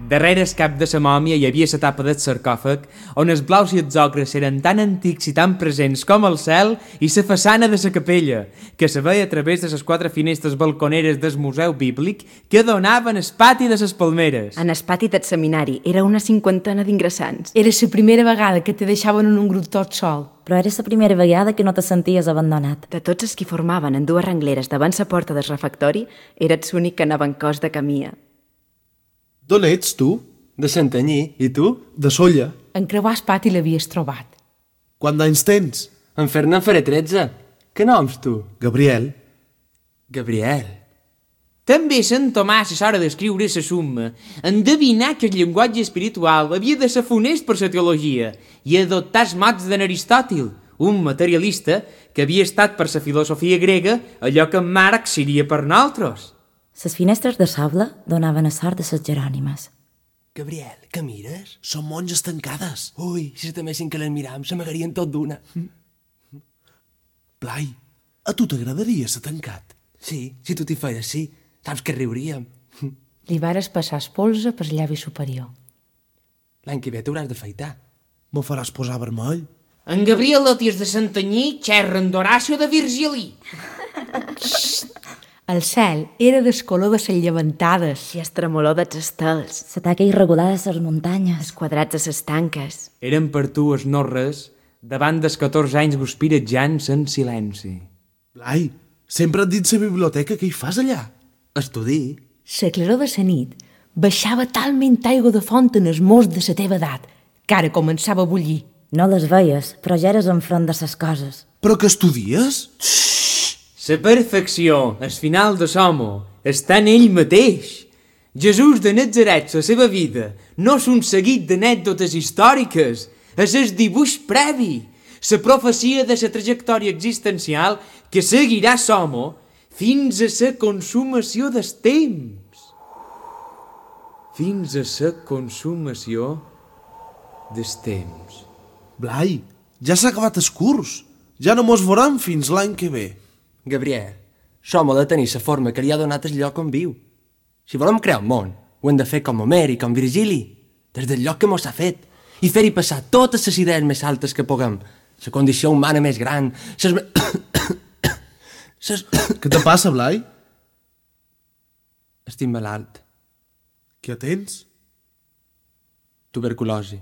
Darrere el cap de la mòmia hi havia la tapa del sarcòfag, on els blaus i els ocres eren tan antics i tan presents com el cel i la façana de la capella, que se veia a través de les 4 finestres balconeres del Museu Bíblic que donaven al pati de les Palmeres. En el pati del seminari era una 50 d'ingressants. Era la primera vegada que te deixaven en un grup tot sol. Però era la primera vegada que no te senties abandonat. De tots els que formaven en 2 rengleres davant la porta del refectori, eres l'únic que anava en cos de camia. D'on ets, tu? De Santanyí. I tu? De Solla. En creuar el pati l'havies trobat. Quant d'anys tens? En fer-ne en faré 13. Què noms, tu? Gabriel. Gabriel. També Sant Tomàs, a l'hora d'escriure la summa, endevinà que el llenguatge espiritual havia de ser funest per la teologia i adoptar els mots d'en Aristòtil, un materialista que havia estat per la filosofia grega allò que en Marx seria per nosaltres. Les finestres de sable donaven a sort de les Jerònimes. Gabriel, què mires? Són monges tancades. Ui, si s'atamessin que les miram, se m'agarien tot d'una. Blai, a tu t'agradaria ser tancat? Sí, si tu t'hi feies, sí. Saps que riuríem. Li vares passar espolsa per llavi superior. L'any que ve t'hauràs d'afaitar. Me faràs posar vermell? En Gabriel Lotiers de Santanyí xerra en Horacio de Virgili. El cel era del color de les llevantades. I el tremolor dels estels, La taca irregular de les muntanyes. els quadrats de les tanques. Eren per tu es no res davant dels 14 anys guspiratjant en silenci. Blai, sempre et dit la biblioteca, què hi fas allà? Estudi. La claror de la nit baixava talment aigua de font en els mos de la teva edat, que ara començava a bullir. No les veies, però ja eres enfront de les coses. Però que estudies? La perfecció, el final de l'home, està en ell mateix. Jesús de Nazaret, la seva vida, no és un seguit d'anècdotes històriques, és el dibuix previ, la profecia de la trajectòria existencial que seguirà l'home fins a la consumació del temps. Fins a la consumació del temps. Blai, ja s'ha acabat el curs. Ja no mos veurem fins l'any que ve. Gabriel, som ha de tenir la forma que li ha donat el lloc on viu. Si volem crear un món, ho hem de fer com Homer i com Virgili, des del lloc que mos ha fet, i fer-hi passar totes les idees més altes que puguem, la condició humana més gran, Què te passa, Blai? Estic malalt. Què tens? Tuberculosi.